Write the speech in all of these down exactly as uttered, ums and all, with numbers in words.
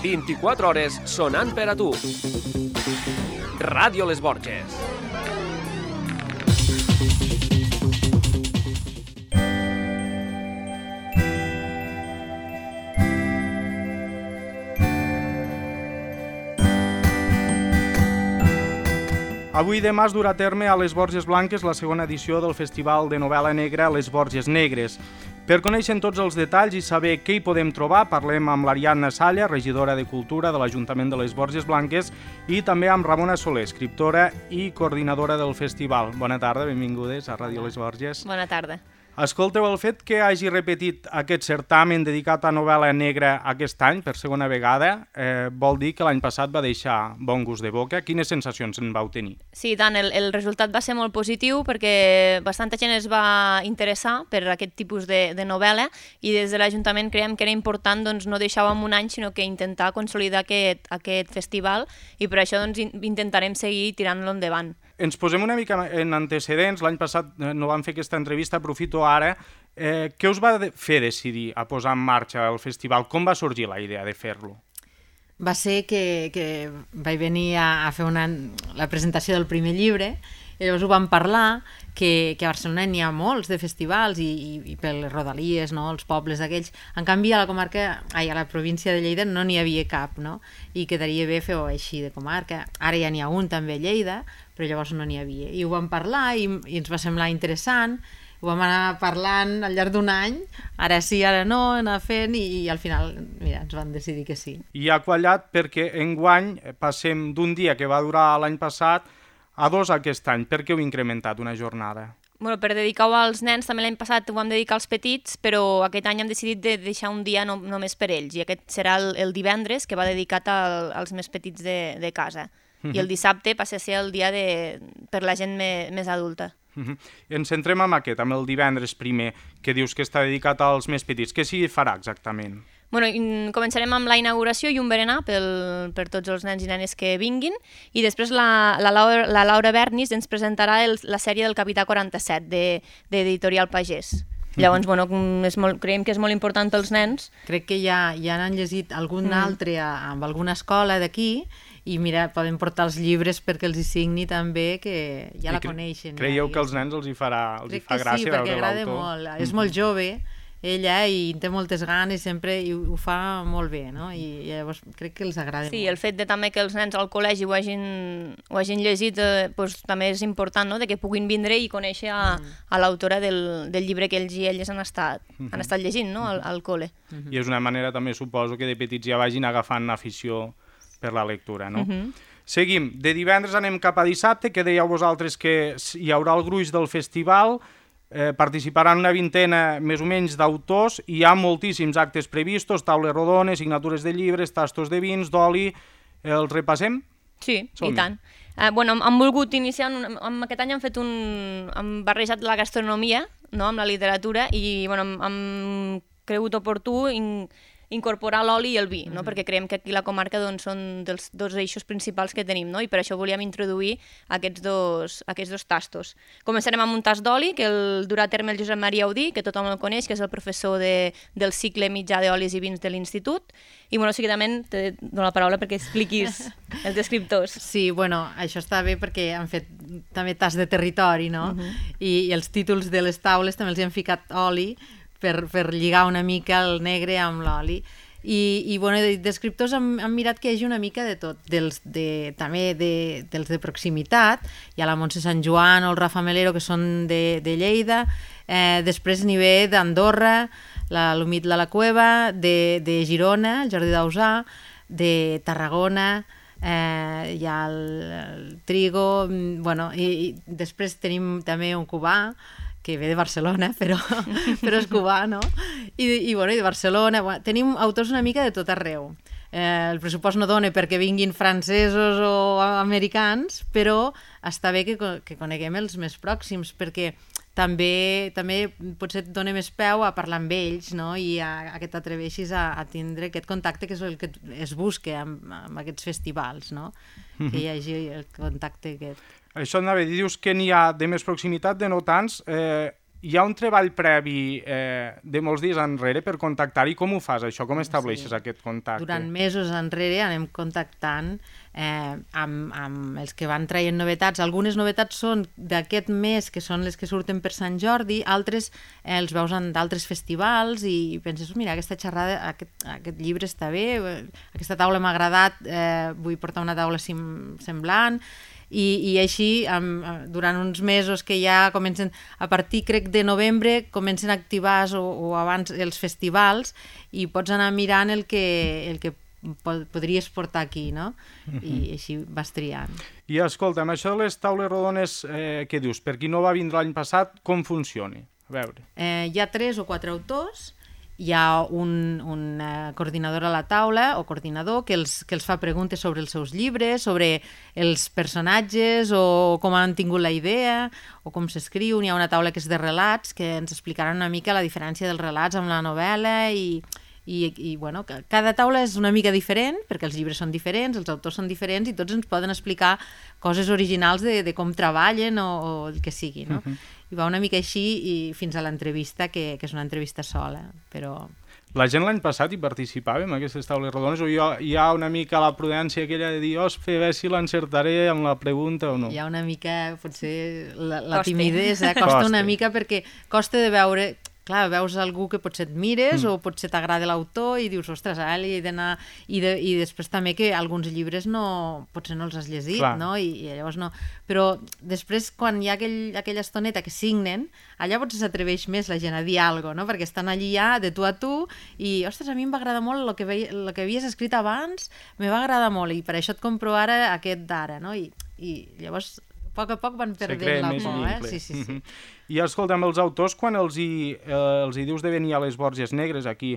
vint-i-quatre hores sonant per a tu. Ràdio Les Borges. Avui i demà es durà a terme a Les Borges Blanques la segona edició del Festival de Novel·la Negra Les Borges Negres. Per conèixer tots els detalls i saber què hi podem trobar, parlem amb l'Ariadna Salla, regidora de Cultura de l'Ajuntament de Les Borges Blanques, i també amb Ramona Soler, escriptora i coordinadora del festival. Bona tarda, benvingudes a Ràdio Les Borges. Bona tarda. Escolteu, el fet que hagi repetit aquest certamen dedicat a novel·la negra aquest any, per segona vegada, eh, vol dir que l'any passat va deixar bon gust de boca. Quines sensacions en vau tenir? Sí, tant, el, el resultat va ser molt positiu perquè bastanta gent es va interessar per aquest tipus de, de novel·la i des de l'Ajuntament creiem que era important doncs, no deixar-ho en un any, sinó que intentar consolidar aquest, aquest festival i per això doncs, intentarem seguir tirant-lo endavant. Ens posem una mica en antecedents. L'any passat no vam fer aquesta entrevista, aprofito ara. Eh, què us va fer decidir a posar en marxa el festival? Com va sorgir la idea de fer-lo? Va ser que, que vaig venir a, a fer una, la presentació del primer llibre i llavors ho vam parlar, que, que a Barcelona n'hi ha molts de festivals i, i, i per les rodalies, no? Els pobles aquells. En canvi, a la comarca, ai, a la província de Lleida no n'hi havia cap, no? I quedaria bé fer-ho així de comarca. Ara ja n'hi ha un també a Lleida, però llavors no n'hi havia. I ho vam parlar i, i ens va semblar interessant, ho vam anar parlant al llarg d'un any, ara sí, ara no, anar fent, i, i al final, mira, ens van decidir que sí. I ha quallat perquè enguany passem d'un dia que va durar l'any passat a dos aquest any. Per què heu incrementat una jornada? Bueno, per dedicar-ho als nens, també l'any passat ho vam dedicar als petits, però aquest any hem decidit de deixar un dia no, només per ells, i aquest serà el, el divendres, que va dedicat al, als més petits de, de casa. I el dissabte passa a ser el dia de, per la gent me, més adulta. Uh-huh. Ens centrem en aquest, amb el divendres primer, que dius que està dedicat als més petits. Què s'hi farà exactament? Bueno, començarem amb la inauguració i un berenar pel, per tots els nens i nenes que vinguin, i després la, la, Laura, la Laura Bernis ens presentarà el, la sèrie del Capità quaranta-set d'Editorial Pagès. Llavors, bueno, és molt, creiem que és molt important pels nens. Crec que ja, ja n'han llegit algun mm. altre a, amb alguna escola d'aquí, i mira, poden portar els llibres perquè els hi signi també, que ja I la coneixen. Creieu ja, que als nens els hi farà, els hi fa gràcia veure l'autor? Crec que sí, perquè agrada molt. És molt jove, ella, i té moltes ganes sempre, i ho fa molt bé, no? I llavors crec que els agrada sí, molt. El fet de també que els nens al col·legi ho hagin, ho hagin llegit eh, doncs, també és important, no? De que puguin vindre i conèixer a, mm. a l'autora del, del llibre que ells i elles han estat, mm-hmm. han estat llegint, no? al, al col·le. Mm-hmm. I és una manera també, suposo, que de petits ja vagin agafant afició per la lectura, no? Mm-hmm. Seguim. De divendres anem cap a dissabte, que dèieu vosaltres que hi haurà el gruix del festival. Eh, participaran una vintena més o menys d'autors, i hi ha moltíssims actes previstos, taules rodones, signatures de llibres, tastos de vins, d'oli. Els repassem? Sí, Som i tant. Eh, bueno, hem volgut iniciar, un, amb aquest any hem fet un... hem barrejat la gastronomia, no?, amb la literatura, i bueno, hem, hem cregut oportú in, incorporar l'oli i el vi, no? Mm-hmm. Perquè creiem que aquí la comarca doncs, són dels dos eixos principals que tenim, no? I per això volíem introduir aquests dos, aquests dos tastos. Començarem amb un tast d'oli, que el durà a terme el Josep Maria Audí, que tothom el coneix, que és el professor de, del cicle mitjà d'olis i vins de l'Institut. I, bueno, seguidament te dono la paraula perquè expliquis els descriptors. Sí, bueno, això està bé perquè han fet també tast de territori, no? Mm-hmm. I, i els títols de les taules també els hi han ficat oli, Per, per lligar una mica el negre amb l'oli. I, i bueno, de descriptors han, han mirat que hi hagi una mica de tot, dels de, també de, dels de proximitat. Hi ha la Montse Sant Joan o el Rafa Melero, que són de, de Lleida. Eh, després n'hi ve d'Andorra, l'Humit de la Cueva, de, de Girona, el Jordi Dausà, de Tarragona, eh, hi ha el, el Trigo, bueno, i, i després tenim també un cubà, que ve de Barcelona, però, però és cubà, no? I, i, bueno, i de Barcelona. Bueno, tenim autors una mica de tot arreu. Eh, el pressupost no dona perquè vinguin francesos o americans, però està bé que, que coneguem els més pròxims, perquè també, també potser et dona més peu a parlar amb ells, no? I a, a que t'atreveixis a, a tindre aquest contacte que és el que es busca amb, amb aquests festivals, no? Mm-hmm. Que hi hagi el contacte aquest. Això anava a dir, dius que n'hi ha de més proximitat, de no tants. Eh, hi ha un treball previ eh, de molts dies enrere per contactar i com ho fas, això? Com estableixes sí. aquest contacte? Durant mesos enrere anem contactant eh, amb, amb els que van traient novetats. Algunes novetats són d'aquest mes, que són les que surten per Sant Jordi, altres eh, els veus en d'altres festivals i penses, mira, aquesta xerrada, aquest, aquest llibre està bé, aquesta taula m'ha agradat, eh, vull portar una taula sim, semblant, I, i així amb, durant uns mesos que ja comencen, a partir crec de novembre comencen a activar o, o abans els festivals i pots anar mirant el que, el que pod podries portar aquí, no? Uh-huh. I així vas triant. I escolta, amb això de les taules rodones eh, què dius? Per qui no va vindre l'any passat, com funciona? A veure. Eh, hi ha tres o quatre autors, hi ha un, un uh, coordinador a la taula o coordinador que els, que els fa preguntes sobre els seus llibres, sobre els personatges o com han tingut la idea o com s'escriu. Hi ha una taula que és de relats que ens explicaran una mica la diferència dels relats amb la novel·la i, i, i bueno, cada taula és una mica diferent perquè els llibres són diferents, els autors són diferents i tots ens poden explicar coses originals de, de com treballen o, o el que sigui, no? Uh-huh. I va una mica així i fins a l'entrevista, que, que és una entrevista sola, però... La gent l'any passat hi participava en aquestes taules rodones o hi ha, hi ha una mica la prudència aquella de dir, ospa, a veure si l'encertaré amb la pregunta o no? Hi ha una mica, potser, la, la timidesa, costa, costa una mica perquè costa de veure... Clar, veus algú que potser et mires mm. o potser t'agrada l'autor i dius, ostres, ara li he d'anar... I, de, I després també que alguns llibres no, potser no els has llegit, Clar. no? I, I llavors no... Però després, quan hi ha aquell, aquella estoneta que signen, allà potser s'atreveix més la gent a dir alguna cosa, no? Perquè estan allí ja de tu a tu i, ostres, a mi em va agradar molt el que, ve, el que havies escrit abans, me va agradar molt i per això et compro ara aquest d'ara, no? I, I llavors... A poc a poc van perdent la por, eh? Sí, sí, sí. I escolta, amb els autors, quan els hi, eh, els hi dius de venir a les Borges Negres, aquí,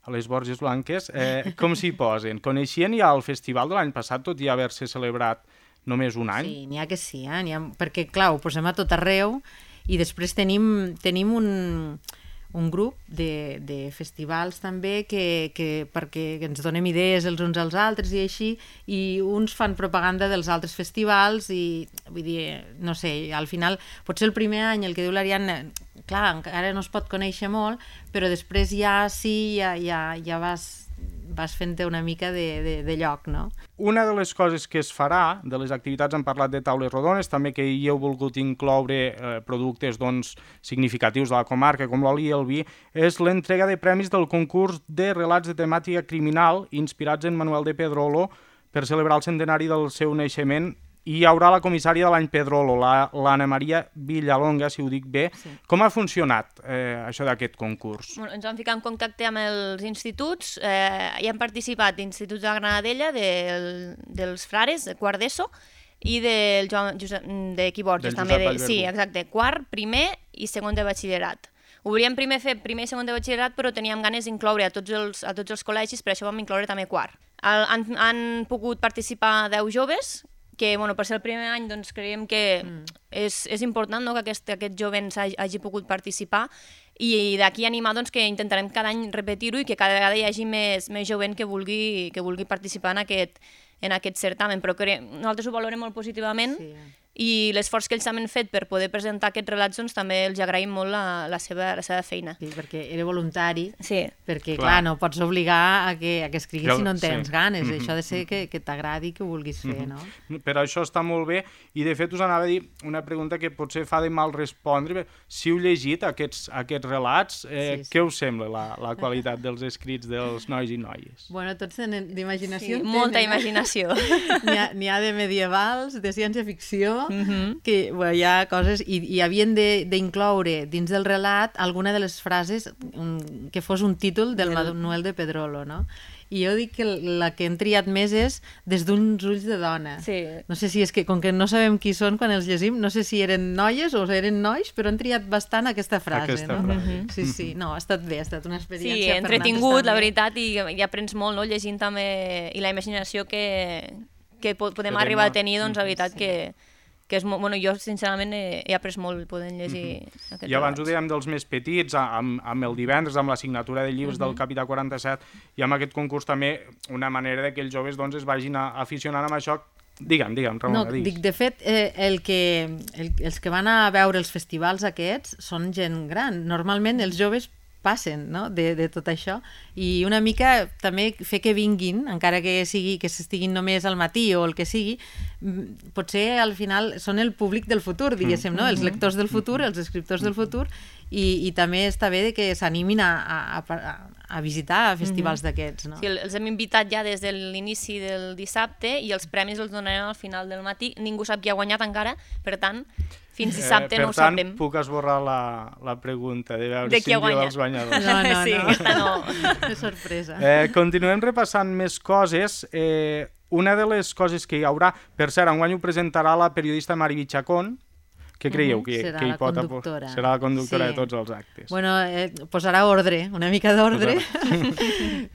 a les Borges Blanques, eh, com s'hi posen? Coneixien ja el festival de l'any passat, tot i haver-se celebrat només un any? Sí, n'hi ha que sí, eh? Ha, perquè, clar, ho posem a tot arreu i després tenim, tenim un... un grup de, de festivals també que, que perquè ens donem idees els uns als altres i així, i uns fan propaganda dels altres festivals i, vull dir, no sé, al final potser el primer any, el que diu l'Ariadna, clar, encara no es pot conèixer molt, però després ja sí, ja, ja, ja vas vas fent-te una mica de, de, de lloc, no? Una de les coses que es farà, de les activitats, hem parlat de taules rodones, també que hi heu volgut incloure eh, productes doncs, significatius de la comarca, com l'oli i el vi, és l'entrega de premis del concurs de relats de temàtica criminal inspirats en Manuel de Pedrolo per celebrar el centenari del seu naixement. I hi haurà la comissària de l'any Pedrolo, l'Anna Maria Villalonga, si ho dic bé. Sí. Com ha funcionat eh, això d'aquest concurs? Bueno, ens vam ficar en contacte amb els instituts, eh, hi han participat instituts de la Granadella, del, dels Frares, de quart d'ESO, i del Joan, Josep, de Quiborges, també. De, sí, exacte, quart, primer i segon de batxillerat. Ho volíem primer fer primer i segon de batxillerat, però teníem ganes d'incloure a tots els, a tots els col·legis, per això vam incloure també quart. El, han, han pogut participar deu joves, que bueno, per ser el primer any doncs, creiem que mm. és, és important, no?, que aquest, aquest jovens hagi, hagi pogut participar i d'aquí animar doncs, que intentarem cada any repetir-ho i que cada vegada hi hagi més, més jovent que vulgui, que vulgui participar en aquest, en aquest certamen, però que nosaltres ho valorem molt positivament. Sí. I l'esforç que ells també han fet per poder presentar aquests relats doncs, també els agraïm molt la, la, seva, la seva feina. Sí, perquè era voluntari, sí. perquè clar. clar, no pots obligar a que, a que escriguis jo, si no en tens sí. ganes, mm-hmm. això ha de ser que, que t'agradi, que ho vulguis fer, mm-hmm. no? Per això està molt bé, i de fet us anava a dir una pregunta que potser fa de mal respondre, si heu llegit aquests, aquests relats, eh, sí, sí. què us sembla la, la qualitat dels escrits dels nois i noies? Bueno, tots tenen d'imaginació. Sí, molta imaginació. N'hi ha, n'hi ha de medievals, de ciència-ficció, Mm-hmm. que bueno, hi ha coses i, i havien d'incloure dins del relat alguna de les frases um, que fos un títol del el... Manuel de Pedrolo, no? I jo dic que la que hem triat més és Des d'uns ulls de dona. Sí. No sé si és que, com que no sabem qui són quan els llegim, no sé si eren noies o eren nois, però han triat bastant aquesta frase. Aquesta no? frase. Mm-hmm. Sí, sí, no, ha estat bé, ha estat una experiència. Sí, entretingut, la veritat, i, i aprens molt, no?, llegint també, i la imaginació que, que podem que arribar a tenir, doncs, la veritat sí. que que és molt, bueno, jo sincerament he, he après molt podent llegir mm-hmm. aquest I abans ho dèiem dels més petits, amb, amb el divendres, amb la signatura de llibres mm-hmm. del Capità quaranta-set, i amb aquest concurs també una manera de que els joves doncs, es vagin aficionant amb això Digue'm, digue'm, Ramona, no, digues. dic, de fet, eh, el que, el, els que van a veure els festivals aquests són gent gran. Normalment els joves passen, no?, de, de tot això, i una mica també fer que vinguin, encara que sigui que s'estiguin només al matí o el que sigui, potser al final són el públic del futur, diguéssim, no?, els lectors del futur, els escriptors del futur, i, i també està bé que s'animin a, a, a, a visitar festivals mm-hmm. d'aquests, no? Sí, els hem invitat ja des de l'inici del dissabte i els premis els donarem al final del matí. Ningú sap qui ha guanyat encara, per tant, fins dissabte eh, no ho tant, sabrem. Per tant, puc esborrar la, la pregunta de veure de si en diu els guanyadors. No, no, sí, no. aquesta no. És sorpresa. Eh, continuem repassant més coses. Eh, una de les coses que hi haurà, per cert, enguany ho presentarà la periodista Mariby Chacón. Què creieu que, serà que hi la pot conductora. Serà la conductora Sí. de tots els actes. Bueno, eh, posarà ordre, una mica d'ordre,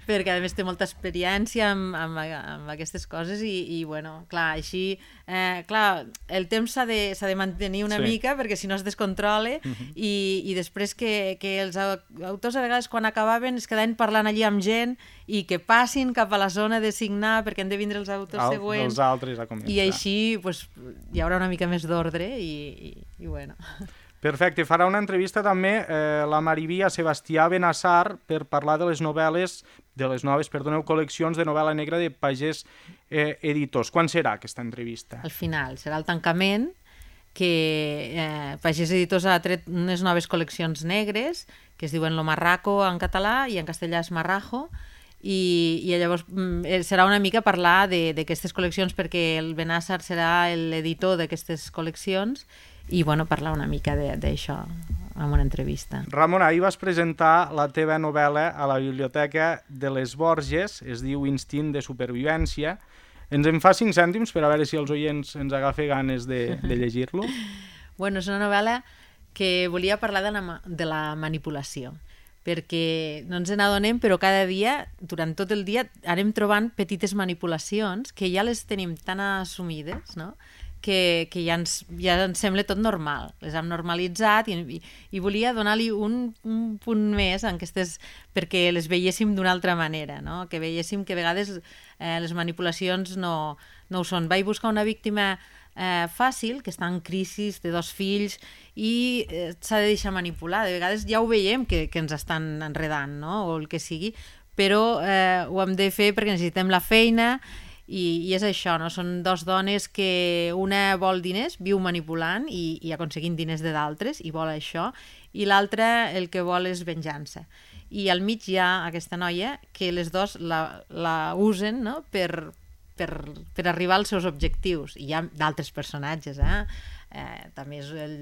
perquè a més té molta experiència amb, amb, amb aquestes coses i, i bueno, clar, així, eh, clar, el temps s'ha de, s'ha de mantenir una Sí. mica perquè si no es descontrola Mhm. i, i després que, que els autors a vegades quan acabaven es quedaven parlant allí amb gent i que passin cap a la zona de signar perquè han de vindre els autors Al, següents els altres a començar. i així pues, hi haurà una mica més d'ordre i, i, i bueno. Perfecte, farà una entrevista també eh, la Mariby a Sebastià Benassar per parlar de les novel·les, de les noves, perdoneu, col·leccions de novel·la negra de Pagès eh, Editors. Quan serà aquesta entrevista? Al final, serà el tancament, que eh, Pagès Editors ha tret unes noves col·leccions negres, que es diuen Lo Marraco en català i en castellà és Marrajo, i, i llavors mm, serà una mica parlar d'aquestes col·leccions perquè el Benassar serà l'editor d'aquestes col·leccions i bueno, parlar una mica d'això en una entrevista. Ramon, ahir vas presentar la teva novel·la a la Biblioteca de les Borges, es diu Instint de supervivència. Ens en fa cinc cèntims per a veure si els oients ens agafa ganes de, de llegir-lo? Bueno, és una novel·la que volia parlar de la, de la manipulació, perquè no ens n'adonem, però cada dia, durant tot el dia, anem trobant petites manipulacions que ja les tenim tan assumides, no?, que, que ja, ens, ja ens sembla tot normal. Les hem normalitzat i, i, i volia donar-li un, un punt més en aquestes, perquè les veiéssim d'una altra manera, no? Que veiéssim que a vegades eh, les manipulacions no, no ho són. Vaig buscar una víctima eh, fàcil, que està en crisi, té dos fills i eh, s'ha de deixar manipular. De vegades ja ho veiem que, que ens estan enredant, no? O el que sigui, però eh, ho hem de fer perquè necessitem la feina. I, i és això, no? Són dos dones que una vol diners, viu manipulant i, i aconseguint diners de d'altres i vol això, i l'altra el que vol és venjança. I al mig hi ha aquesta noia que les dos la, la usen, no?, per, per, per arribar als seus objectius. I hi ha d'altres personatges, eh? Eh, també és el,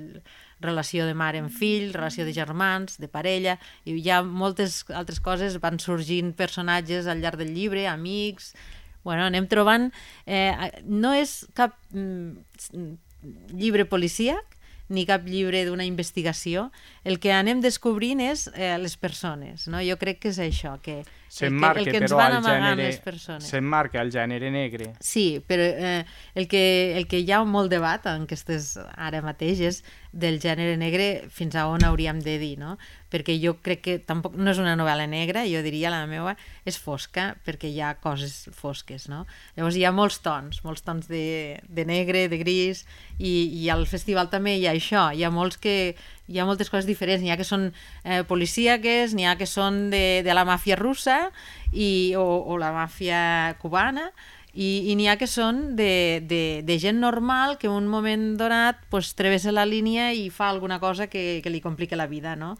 relació de mare amb fill, relació de germans, de parella, i hi ha moltes altres coses, van sorgint personatges al llarg del llibre, amics. Bueno, anem trobant... Eh, no és cap mm, llibre policíac ni cap llibre d'una investigació. El que anem descobrint és eh, les persones, no? Jo crec que és això, que el que, el que ens van amagant les persones. S'emmarca el gènere negre. Sí, però eh, el, que, el que hi ha molt debat en aquestes ara mateix és del gènere negre fins a on hauríem de dir, no? Perquè jo crec que tampoc no és una novel·la negra, jo diria la meva és fosca, perquè hi ha coses fosques, no? Llavors hi ha molts tons, molts tons de, de negre, de gris, i, i al festival també hi ha això, hi ha molts que hi ha moltes coses diferents, n'hi ha que són eh, policíaques, n'hi ha que són de, de la màfia russa i, o, o la màfia cubana, i, i n'hi ha que són de, de, de gent normal que en un moment donat pues, travessa la línia i fa alguna cosa que, que li complica la vida, no?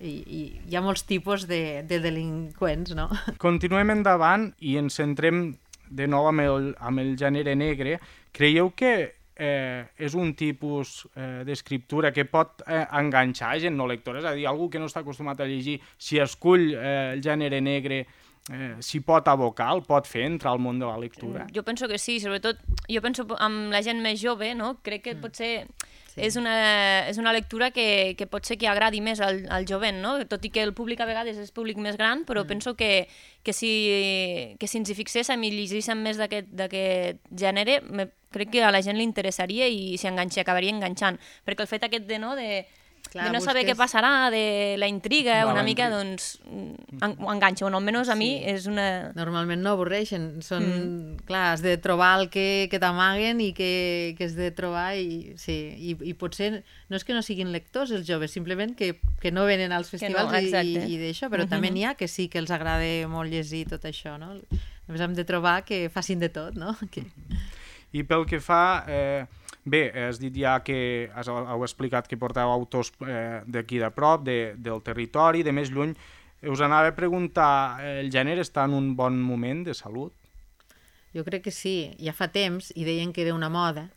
I, i hi ha molts tipus de, de delinqüents, no? Continuem endavant i ens centrem de nou amb el, amb el gènere negre. Creieu que eh, és un tipus eh, d'escriptura que pot eh, enganxar gent no lectora? És a dir, algú que no està acostumat a llegir, si escull eh, el gènere negre, eh, s'hi pot abocar, el pot fer entrar al món de la lectura? Jo penso que sí, sobretot jo penso amb la gent més jove, no? Crec que potser Sí. és, una, és una lectura que, que pot ser que agradi més al, al jovent, no? Tot i que el públic a vegades és públic més gran, però mm. penso que, que, si, que si ens hi fixéssim i llegíssim més d'aquest gènere, me, crec que a la gent li interessaria i s'hi enganxa, acabaria enganxant. Perquè el fet aquest de, no, de Clar, de no saber busques- què passarà, de la intriga, Va, una la mica, intriga. doncs, en, ho enganxa. Bueno, almenys a mi Sí. és una... Normalment no avorreixen, són, mm. clar, has de trobar el que, que t'amaguen i que, que has de trobar i, sí, i, i potser no és que no siguin lectors els joves, simplement que, que no venen als festivals no, i, exacte. i, i d'això, però Mhm. també n'hi ha que sí que els agrada molt llegir tot això, no? Només hem de trobar que facin de tot, no? Que... I pel que fa... Eh, bé, has dit ja que has, heu explicat que porteu autors eh, d'aquí de prop, de, del territori, de més lluny. Us anava a preguntar, eh, el gènere està en un bon moment de salut? Jo crec que sí, ja fa temps i deien que era una moda.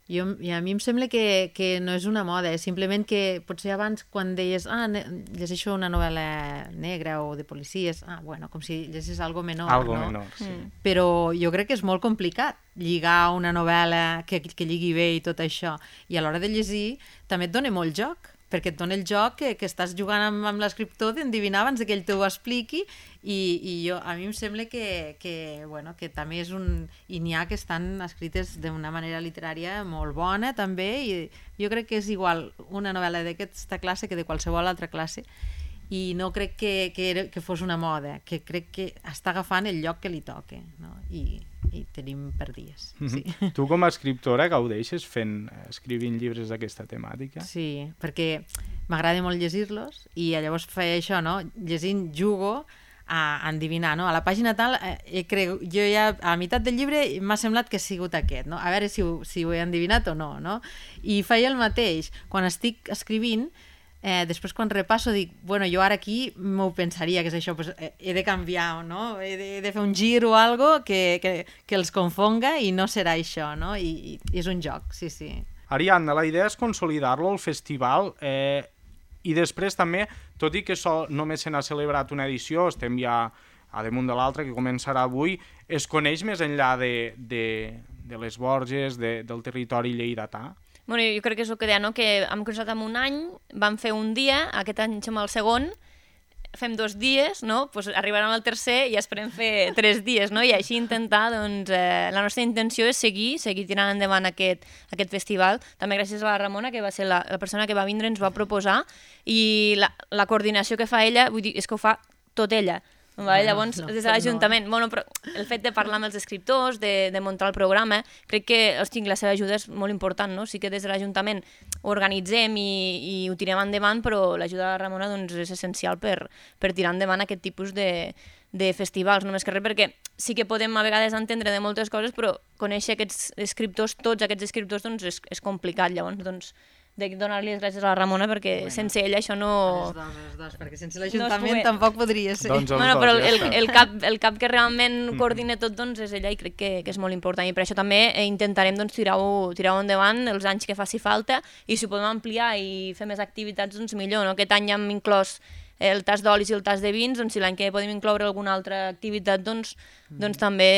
Jo, I a mi em sembla que, que no és una moda, és simplement que potser abans quan deies ah, ne- llegeixo una novel·la negra o de policies, ah, bueno, com si llegís algo menor, Algo no? menor, sí. Mm. Però jo crec que és molt complicat lligar una novel·la que, que lligui bé i tot això. I a l'hora de llegir també et dona molt joc, perquè et dona el joc que, que estàs jugant amb, amb l'escriptor d'endevinar abans que ell t'ho expliqui i, i jo, a mi em sembla que, que, bueno, que també és un... I n'hi ha que estan escrites d'una manera literària molt bona també i jo crec que és igual una novel·la d'aquesta classe que de qualsevol altra classe i no crec que, que, era, que fos una moda, que crec que està agafant el lloc que li toca, no? I, i tenim per dies. Sí. Tu com a escriptora gaudeixes fent, escrivint llibres d'aquesta temàtica? Sí, perquè m'agrada molt llegir-los i llavors feia això, no? Llegint jugo a endevinar, no? A la pàgina tal, eh, creu, jo ja a la meitat del llibre m'ha semblat que ha sigut aquest, no? A veure si ho, si ho he endevinat o no, no? I feia el mateix. Quan estic escrivint, Eh, després quan repasso dic, bueno, jo ara aquí m'ho pensaria que és això, pues, eh, he de canviar, no? He de, he de fer un gir o algo que, que, que els confonga i no serà això, no? I, i és un joc, sí, sí. Ariadna, la idea és consolidar-lo al festival eh, i després també, tot i que sol, només se n'ha celebrat una edició, estem ja a damunt de l'altra, que començarà avui, es coneix més enllà de, de, de les Borges, de, del territori lleidatà? Bueno, jo crec que és el que deia, no? Que hem començat amb un any, vam fer un dia, aquest any som al segon, fem dos dies, no? Pues arribarem al tercer i esperem fer tres dies, no? I així intentar, doncs, eh, la nostra intenció és seguir, seguir tirant endavant aquest, aquest festival. També gràcies a la Ramona, que va ser la, la persona que va vindre, ens va proposar, i la, la coordinació que fa ella, vull dir, és que ho fa tot ella. Vale? Bueno, Llavors, no, des de l'Ajuntament, no. bueno, però el fet de parlar amb els escriptors, de, de muntar el programa, crec que hosti, la seva ajuda és molt important, no? Sí que des de l'Ajuntament ho organitzem i, i ho tirem endavant, però l'ajuda de la Ramona doncs, és essencial per, per tirar endavant aquest tipus de, de festivals, només que res, perquè sí que podem a vegades entendre de moltes coses, però conèixer aquests escriptors, tots aquests escriptors, doncs és, és complicat, llavors, doncs, de donar-li les gràcies a la Ramona perquè bueno, sense ella això no... Les dos, les dos, perquè sense l'Ajuntament No es tampoc podria ser. Doncs els Bueno, dos, però ja el, està. el, cap, el cap que realment coordina tot doncs, és ella i crec que, que és molt important i per això també eh, intentarem doncs, tirar-ho tirar endavant els anys que faci falta i si ho podem ampliar i fer més activitats doncs millor, no? Aquest any hem inclòs el tas d'olis i el tas de vins, doncs si l'any que podem incloure alguna altra activitat doncs, mm. doncs també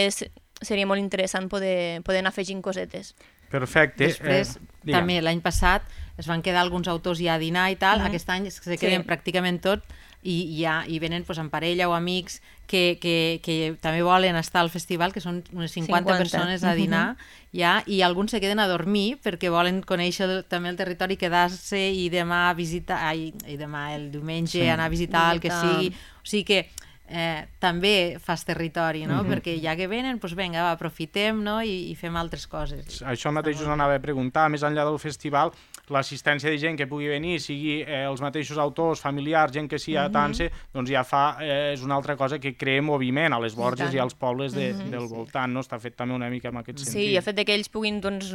seria molt interessant poder, poder anar afegint cosetes. Perfecte. Després, eh, també l'any passat es van quedar alguns autors ja a dinar i tal, Mhm. aquest any se queden Sí. pràcticament tot i, ja, i venen pues, en parella o amics que, que, que també volen estar al festival, que són unes cinquanta, cinquanta. persones a dinar, ja, i alguns se queden a dormir perquè volen conèixer el, també el territori, quedar-se i demà visitar, ai, i demà el diumenge Sí. anar a visitar el que Visitar. sigui. O sigui que eh, també fas territori, no? Mhm. Perquè ja que venen, doncs vinga, va, aprofitem, no? I, i fem altres coses. Això mateix us anava a preguntar, més enllà del festival, l'assistència de gent que pugui venir, sigui eh, els mateixos autors, familiars, gent que s'hi atanse, mm -hmm. doncs ja fa, eh, és una altra cosa que crea moviment a les Borges i, i als pobles de, mm -hmm. del voltant, no? Està fet també una mica en aquest sentit. Sí, i el fet de que ells puguin doncs,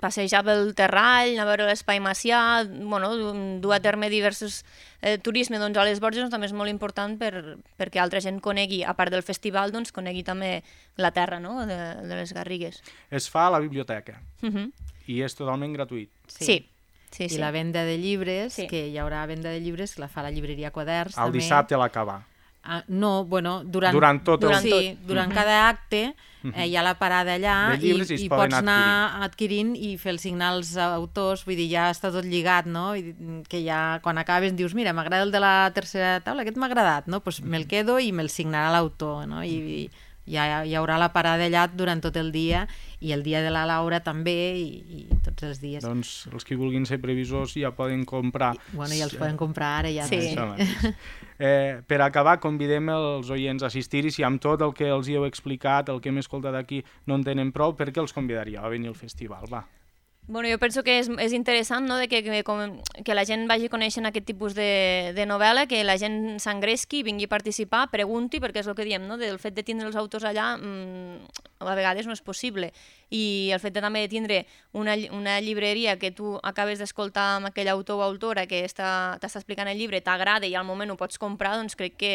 passejar pel Terrall, anar a veure l'espai Macià, bueno, dur a terme diversos eh, turisme doncs, a les Borges doncs, també és molt important per, perquè altra gent conegui, a part del festival, doncs, conegui també la terra, no? de, de les Garrigues. Es fa a la biblioteca Uh -huh. i és totalment gratuït. Sí. sí. Sí, I sí. la venda de llibres, Sí. que hi haurà venda de llibres, la fa la llibreria Quaderns. El també. dissabte a l'acabar. Ah, no, bueno, durant, Durant tot el- Durant sí, tot. durant cada acte eh, hi ha la parada allà De llibres i es i, i poden pots anar adquirint i fer el signar als autors, vull dir, ja està tot lligat, no? I, que ja quan acabes dius, mira, m'agrada el de la tercera taula, aquest m'ha agradat, no? Pues me'l quedo i me'l signarà l'autor, no? I, i hi, ha, hi haurà la parada allà durant tot el dia, i el dia de la Laura també, i, i tots els dies. Doncs els que vulguin ser previsors ja poden comprar. I, bueno, ja els poden comprar ara, ja. Sí. Eh, per acabar, convidem els oients a assistir, i si amb tot el que els hi heu explicat, el que hem escoltat aquí, no en tenen prou, per què els convidaria a venir al festival? Va. Bueno, jo penso que és, és interessant, no?, de que, que, com, que la gent vagi coneixent aquest tipus de, de novel·la, que la gent s'engresqui, vingui a participar, pregunti, perquè és el que diem, no?, del fet de tindre els autors allà mmm, a vegades no és possible, i el fet de també de tindre una, una llibreria que tu acabes d'escoltar amb aquell autor o autora que t'està explicant el llibre, t'agrada i al moment ho pots comprar, doncs crec que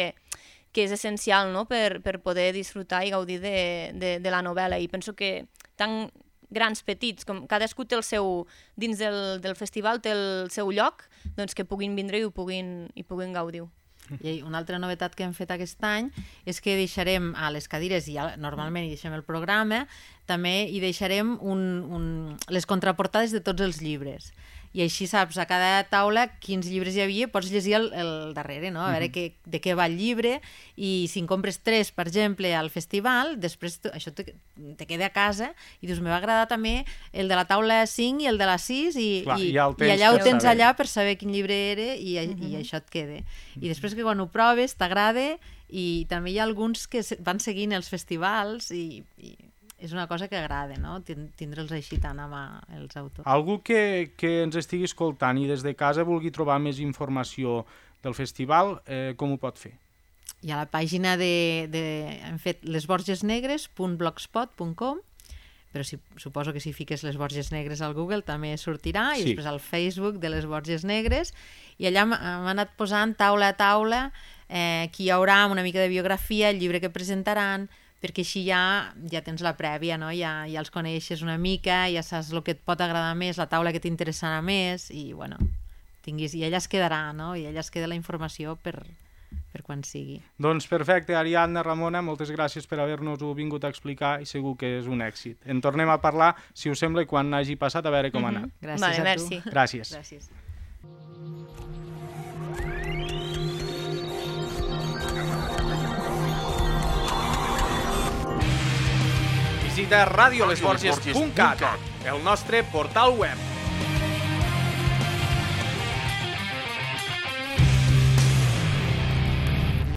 que és essencial, no?, per, per poder disfrutar i gaudir de, de, de la novel·la, i penso que tant grans, petits, com cadascú té el seu, dins del, del festival té el seu lloc, doncs que puguin vindre i ho puguin, i puguin gaudir. I una altra novetat que hem fet aquest any és que deixarem a les cadires, i ja normalment hi deixem el programa, també hi deixarem un, un, les contraportades de tots els llibres. I així saps a cada taula quins llibres hi havia, pots llegir el, el darrere, no? A veure que, de què va el llibre, i si en compres tres, per exemple, al festival, després tu, això te, te queda a casa i dius, me va agradar també el de la taula cinc i el de la sis, i, Clar, i, ja i allà ho tens saber. allà per saber quin llibre era, i, uh-huh. i això et queda. I després que quan ho proves t'agrada, i també hi ha alguns que van seguint els festivals, i, i és una cosa que agrada, no?, tindre'ls així tant amb els autors. Algú que, que ens estigui escoltant i des de casa vulgui trobar més informació del festival, eh, com ho pot fer? Hi ha la pàgina de, de hem fet les borges negres punt blogspot punt com, però si, suposo que si fiques les Borges Negres al Google també sortirà, i sí. Després al Facebook de les Borges Negres, i allà hem anat posant taula a taula eh, qui hi haurà, una mica de biografia, el llibre que presentaran, perquè així ja, ja tens la prèvia, no? Ja, ja els coneixes una mica, ja saps el que et pot agradar més, la taula que t'interessarà més, i bueno, tinguis, i ella es quedarà, no? I ella es queda la informació per, per quan sigui. Doncs perfecte, Ariadna, Ramona, moltes gràcies per haver-nos-ho vingut a explicar, i segur que és un èxit. En tornem a parlar, si us sembla, quan hagi passat, a veure com ha anat. Gràcies vale, a merci. tu. Gràcies. Gràcies. Visita radio les borges punt cat, el nostre portal web.